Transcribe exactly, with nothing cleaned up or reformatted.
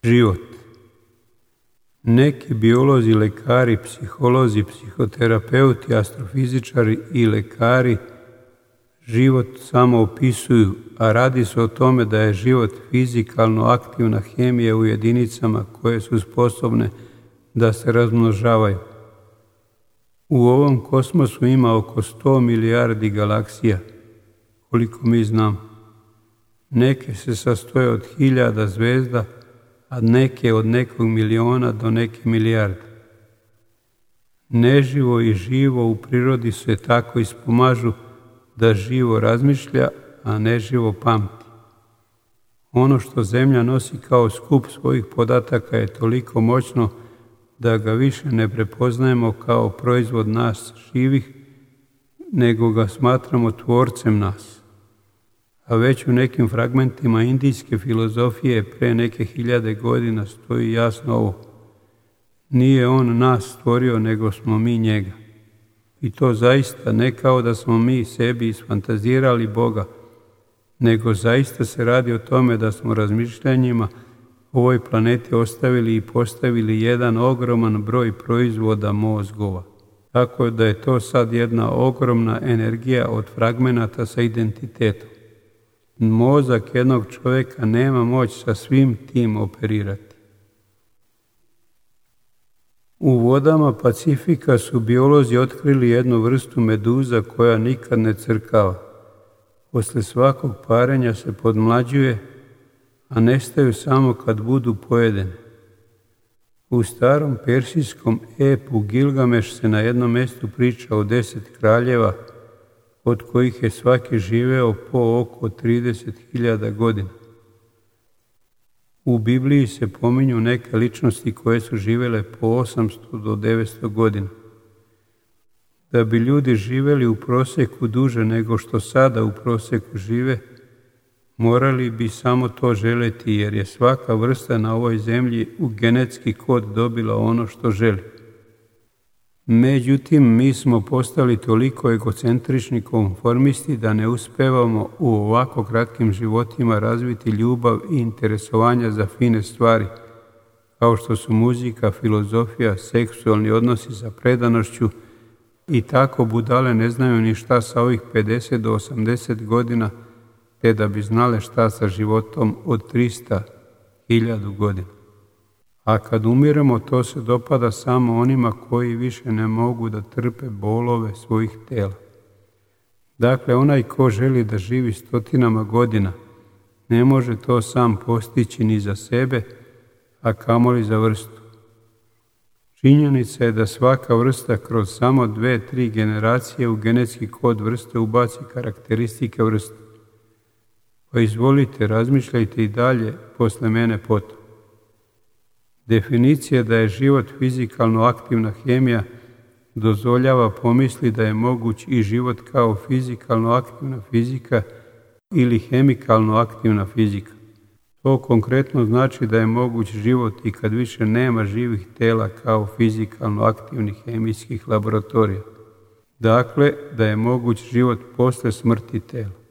Život. Neki biolozi, lekari, psiholozi, psihoterapeuti, astrofizičari i lekari život samo opisuju, a radi se o tome da je život fizikalno aktivna hemija u jedinicama koje su sposobne da se razmnožavaju. U ovom kosmosu ima oko sto milijardi galaksija, koliko mi znamo. Neke se sastoje od hiljada zvezda, a neke od nekog miliona do neke milijarde. Neživo i živo u prirodi se tako ispomažu da živo razmišlja, a neživo pamti. Ono što Zemlja nosi kao skup svojih podataka je toliko moćno da ga više ne prepoznajemo kao proizvod nas živih, nego ga smatramo tvorcem nas. A već u nekim fragmentima indijske filozofije pre neke hiljade godina stoji jasno ovo: nije on nas stvorio, nego smo mi njega. I to zaista ne kao da smo mi sebi isfantazirali Boga, nego zaista se radi o tome da smo razmišljanjima ovoj planeti ostavili i postavili jedan ogroman broj proizvoda mozgova. Tako da je to sad jedna ogromna energija od fragmenata sa identitetom. Mozak jednog čovjeka nema moć sa svim tim operirati. U vodama Pacifika su biolozi otkrili jednu vrstu meduza koja nikad ne crkava. Posle svakog parenja se podmlađuje, a nestaju samo kad budu pojedene. U starom persijskom epu Gilgameš se na jednom mjestu priča o deset kraljeva, od kojih je svaki živeo po oko trideset hiljada godina. U Bibliji se pominju neke ličnosti koje su živjele po osamsto do devetsto godina. Da bi ljudi živjeli u prosjeku duže nego što sada u prosjeku žive, morali bi samo to želeti, jer je svaka vrsta na ovoj zemlji u genetski kod dobila ono što želi. Međutim, mi smo postali toliko egocentrični konformisti da ne uspevamo u ovako kratkim životima razviti ljubav i interesovanja za fine stvari, kao što su muzika, filozofija, seksualni odnosi sa predanošću, i tako budale ne znaju ni šta sa ovih pedeset do osamdeset godina, te da bi znale šta sa životom od trista hiljada godina. A kad umiremo, to se dopada samo onima koji više ne mogu da trpe bolove svojih tela. Dakle, onaj ko želi da živi stotinama godina, ne može to sam postići ni za sebe, a kamoli za vrstu. Činjenica je da svaka vrsta kroz samo dve, tri generacije u genetski kod vrste ubaci karakteristike vrste. Pa izvolite, razmišljajte i dalje, posle mene potom. Definicija da je život fizikalno aktivna hemija dozvoljava pomisli da je moguć i život kao fizikalno aktivna fizika ili hemikalno aktivna fizika. To konkretno znači da je moguć život i kad više nema živih tela kao fizikalno aktivnih hemijskih laboratorija. Dakle, da je moguć život posle smrti tela.